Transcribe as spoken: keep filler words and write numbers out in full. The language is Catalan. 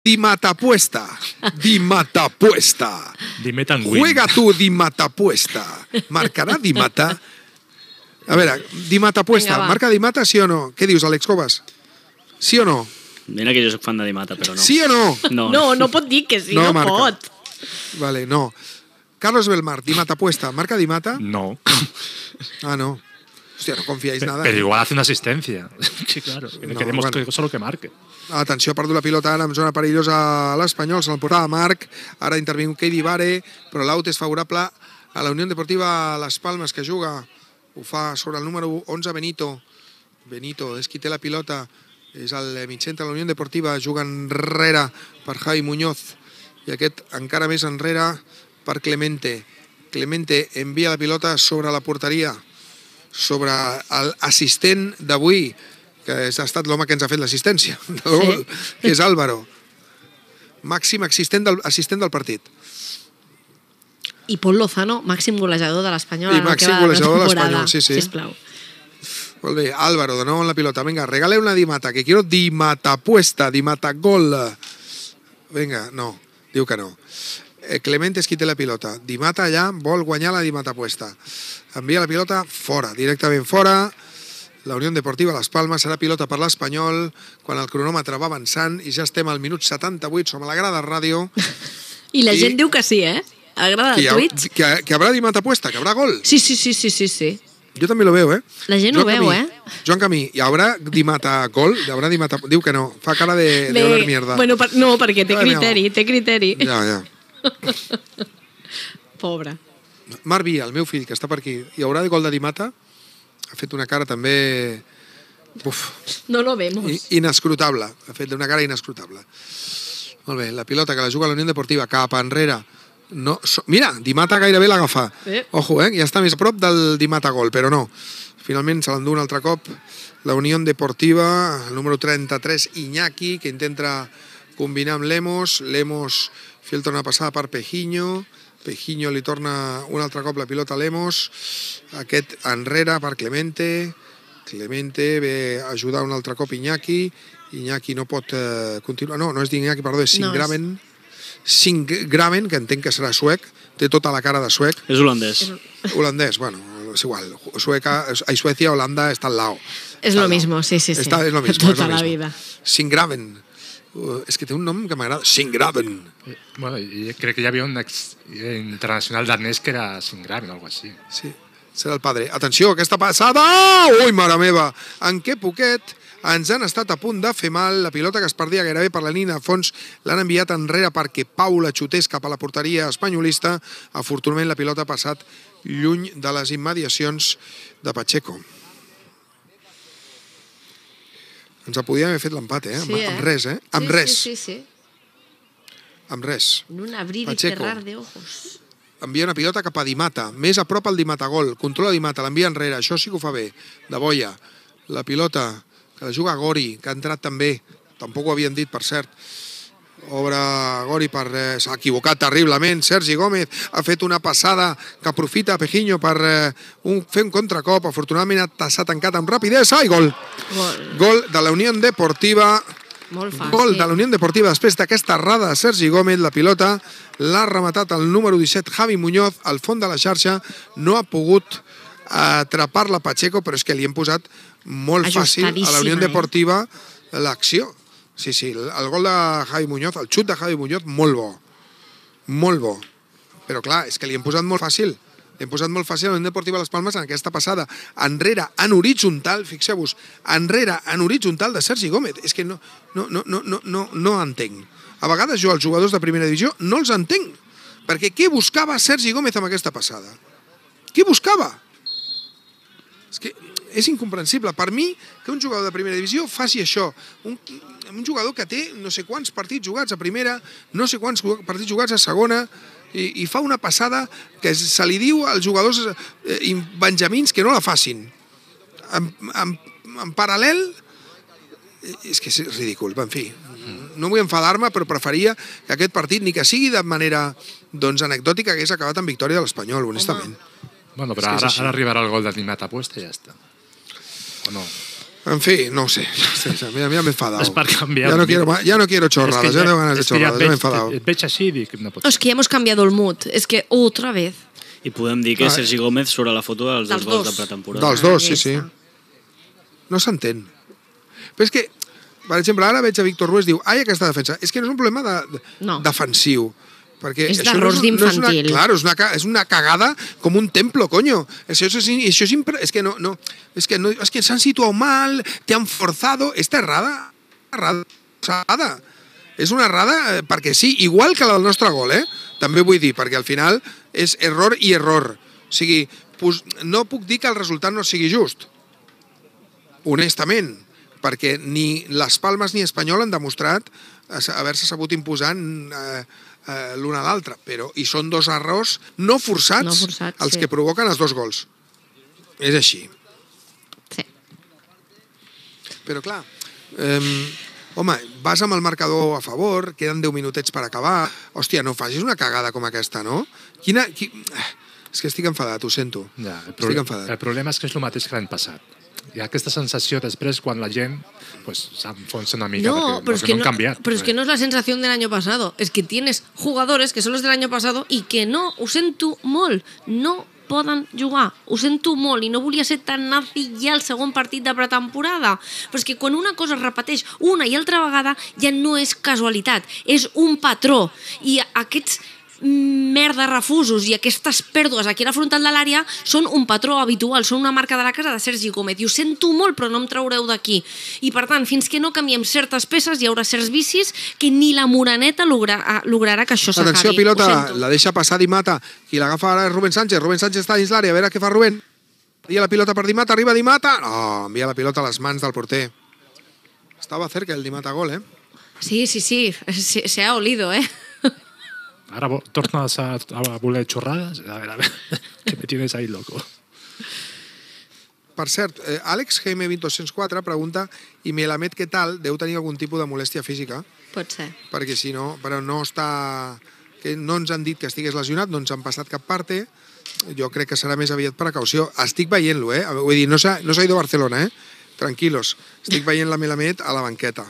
Di Matapuesta. Di Matapuesta. Di Metanguin. Juega tu Di Matapuesta. Marcarà Di Mata? A veure, Di Matapuesta. Marca Di Mata, sí o no? Què dius, Àlex Cobas? Sí o no? Mira que jo soc fan de Di Mata, però no. Sí o no? No, no, no pot dir que sí, no, no pot. Vale, no. Carlos Belmar, Di Matapuesta. ¿Marca Di Mata? No. Ah, no. Hostia, no confiáis nada. Pero igual hace una asistencia. Sí, claro. No, queremos bueno. que solo que marque. Atenció, ha perdut la pilota ara en zona perillosa a l'Espanyol, se l'emportava Marc, ara intervingut Keidi Vare, però l'aut és favorable a la Unió Deportiva Las Palmas, que juga, ho fa sobre el número onze, Benito. Benito és qui té la pilota, és el mitjcentre de la Unió Deportiva, juga enrere per Javi Muñoz, i aquest encara més enrere per Clemente. Clemente envia la pilota sobre la porteria, sobre l'assistent d'avui, que ha estat l'home que ens ha fet l'assistència del gol, sí. Que és Álvaro. Màxim assistent del, assistent del partit. I Pol Lozano, màxim golejador de l'Espanyol. I màxim golejador de l'Espanyol, sí, sí. Sisplau. Molt bé, Álvaro, de nou en la pilota. Vinga, regale una Di Mata, que quiero Di Mata puesta, Di Mata gol. Vinga, no, diu que no. Clemente és qui té la pilota. Di Mata allà vol guanyar la Di Mata puesta. Envia la pilota fora, directament fora. La Unió Deportiva Las Palmas serà pilota per l'Espanyol quan el cronòmetre va avançant i ja estem al minut setanta-vuit, som a la grada ràdio. I la I... gent diu que sí, eh? A la grada de tuits. Que, que habrá Di Mata puesta, que habrá gol. Sí, sí, sí, sí, sí, sí. Jo també lo veo, eh? La gent Joan ho veu, Camí, eh? Joan Camí, hi haurà Di Mata gol? Hi haurà Di Mata... Diu que no, fa cara de, de oler mierda. Bueno, per, no, perquè té criteri, té criteri. Ja, ja. Pobre. Marc Via, el meu fill, que està per aquí, hi haurà gol de Di Mata? Ha fet una cara també... Uf. No lo vemos. Inescrutable. Ha fet una cara inescrutable. Molt bé, la pilota que la juga la Unió Deportiva cap enrere. No, so, mira, Di Mata gairebé l'agafa. Eh. Ojo, eh? Ja està més a prop del Di Mata gol, però no. Finalment se l'endú un altre cop la Unió Deportiva, el número trenta-tres, Iñaki, que intenta combinar amb Lemos. Lemos filtra una passada per Pejiño. Pejiño li torna un altre cop la pilota a Lemos. Aquest enrere per Clemente. Clemente ve a ajudar un altre cop Iñaki. Iñaki no pot eh, continuar. No, no és d'Iñaki, perdó, és Singraven. No, és... Singraven, que entenc que serà suec. Té tota la cara de suec. És holandès. Holandès, bueno, és igual. Sueca, a Suecia, Holanda està al lado. És lo mismo, sí, sí, sí. Está, es lo mismo, tota es lo la mismo. vida. Singraven. Uh, és que té un nom que m'agrada. Singraven. Bueno, i crec que hi havia un ex internacional danès que era Singraven o alguna cosa així. Sí. Serà el padre. Atenció, aquesta passada! Ui, mare meva! En què poquet ens han estat a punt de fer mal. La pilota que es perdia gairebé per la línia de fons l'han enviat enrere perquè Pau la xutés cap a la porteria espanyolista. Afortunadament la pilota ha passat lluny de les immediacions de Pacheco. Ens podíem haver fet l'empat, eh? Sí, eh? Amb res, eh? Amb sí, res. Sí, sí, sí. Amb res. En un abrir Pacheco. y cerrar de ojos. Envia una pilota cap a Di Mata, més a prop al Di Mata gol, controla Di Mata, l'envia enrere, això sí que ho fa bé, de Boia. La pilota que la juga Gori, que ha entrat també, tampoc ho havien dit, per cert. Obre Gori, per, eh, s'ha equivocat terriblement, Sergi Gómez ha fet una passada que aprofita Pejiño per eh, un, fer un contracop, afortunadament s'ha tancat amb rapidesa i gol. Gol, gol de la Unió Deportiva. Molt fàcil. Gol de la Unió Deportiva després d'aquesta errada de Sergi Gómez. La pilota l'ha rematat el número disset, Javi Muñoz, al fons de la xarxa. No ha pogut atrapar-la Pacheco, però és que li hem posat molt fàcil a la Unió Deportiva l'acció. Sí, sí, el gol de Javi Muñoz, el xut de Javi Muñoz, molt bo. Molt bo. Però clar, és que li hem posat molt fàcil. Hem posat molt fàcil a la Unió Deportiva Las Palmas en aquesta passada. Enrere, en horitzontal, fixeu-vos, enrere, en horitzontal de Sergi Gómez. És que no, no, no, no, no, no, no entenc. A vegades jo, els jugadors de primera divisió, no els entenc. Perquè què buscava Sergi Gómez amb aquesta passada? Què buscava? És que és incomprensible. Per mi, que un jugador de primera divisió faci això. Un, un jugador que té no sé quants partits jugats a primera, no sé quants partits jugats a segona, i, i fa una passada que se li diu als jugadors eh, benjamins que no la facin. En, en, en paral·lel, és que és ridícul, en fi. No vull enfadar-me, però preferia que aquest partit, ni que sigui de manera doncs, anecdòtica, hagués acabat en victòria de l'Espanyol, honestament. Bueno, però ara, ara arribarà el gol de Di Mata puesta i ja està. O no? En fi, no ho sé. Ja, ja m'he enfadat. És per canviar. Ja no quiero, ja no quiero chorradas, ja no tengo ganas de chorradas, ja m'he enfadat. Et veig així i dic, no pot Es que ya hemos cambiado el mood. Es que otra vez. I podem dir que Ah, Sergi Gómez surt a la foto dels dos Dels gols dos. de pretemporada. Dels dos, sí, Ahí sí. está. No s'entén. Però és que, per exemple, ara veig a Víctor Ruiz, diu, ai, aquesta defensa. És que no és un problema de, de, No. defensiu. Perquè És això d'errors no és, no és una, d'infantil. claro, és una, ca- és una cagada com un templo, coño. Això és, això és, impre, és que no, no, és que, no, és que s'han situat mal, te han forzado. Esta errada, errada, errada. És una errada eh, perquè sí, igual que la del nostre gol, eh? També vull dir, perquè al final és error i error. O sigui, pues, no puc dir que el resultat no sigui just, honestament, perquè ni les Palmes ni Espanyol han demostrat haver-se sabut imposant eh, eh, l'un a l'altre, però i són dos errors no forçats, No forçats, els sí. que provoquen els dos gols. És així. Sí. Però clar, eh, home, vas amb el marcador a favor, queden deu minutets per acabar, hòstia, no facis una cagada com aquesta, no? Quina... Qui... És que estic enfadat, ho sento. Ja, el, estic pro enfadat. el problema és que és el mateix que l'any passat. Hi ha aquesta sensació després quan la gent pues, s'enfonsa una mica No, perquè, pero es, perquè que no no, han canviat. pero es que no es la sensación del año pasado. Es que tienes jugadores que son los del año pasado y que no, ho sento molt, no poden jugar. Ho sento molt i no volia ser tan nazi ja el segon partit de pretemporada. Però és que quan una cosa es repeteix una i altra vegada ja no és casualitat, és un patró. I aquests merda refusos i aquestes pèrdues aquí a la frontal de l'àrea són un patró habitual, són una marca de la casa de Sergi Gómez i ho sento molt però no em traureu d'aquí i per tant fins que no canviem certes peces hi haurà certs vicis que ni la Moreneta logra, lograrà que això s'acabi. Atenció, pilota, la deixa passar Di Mata, qui l'agafa ara és Rubén Sánchez, Rubén Sánchez està dins l'àrea, a veure què fa Rubén, envia la pilota per Di Mata, arriba Di Mata, no, envia la pilota a les mans del porter. Estava cerca el Di Mata gol, eh? Sí, sí, sí, se, se ha olido, eh? Ara tornes a, a voler xorrades? A veure, a veure, que me tienes ahí loco. Per cert, eh, Àlex G M dos cents quatre pregunta i Melamed què tal? Deu tenir algun tipus de molèstia física? Pot ser. Perquè si no, però no està... Que no ens han dit que estigués lesionat, no ens han passat cap parte. Jo crec que serà més aviat precaució. Estic veient-lo, eh? Vull dir, no s'ha no s'ha ido a Barcelona, eh? Tranquilos. Estic veient la Melamed a la banqueta.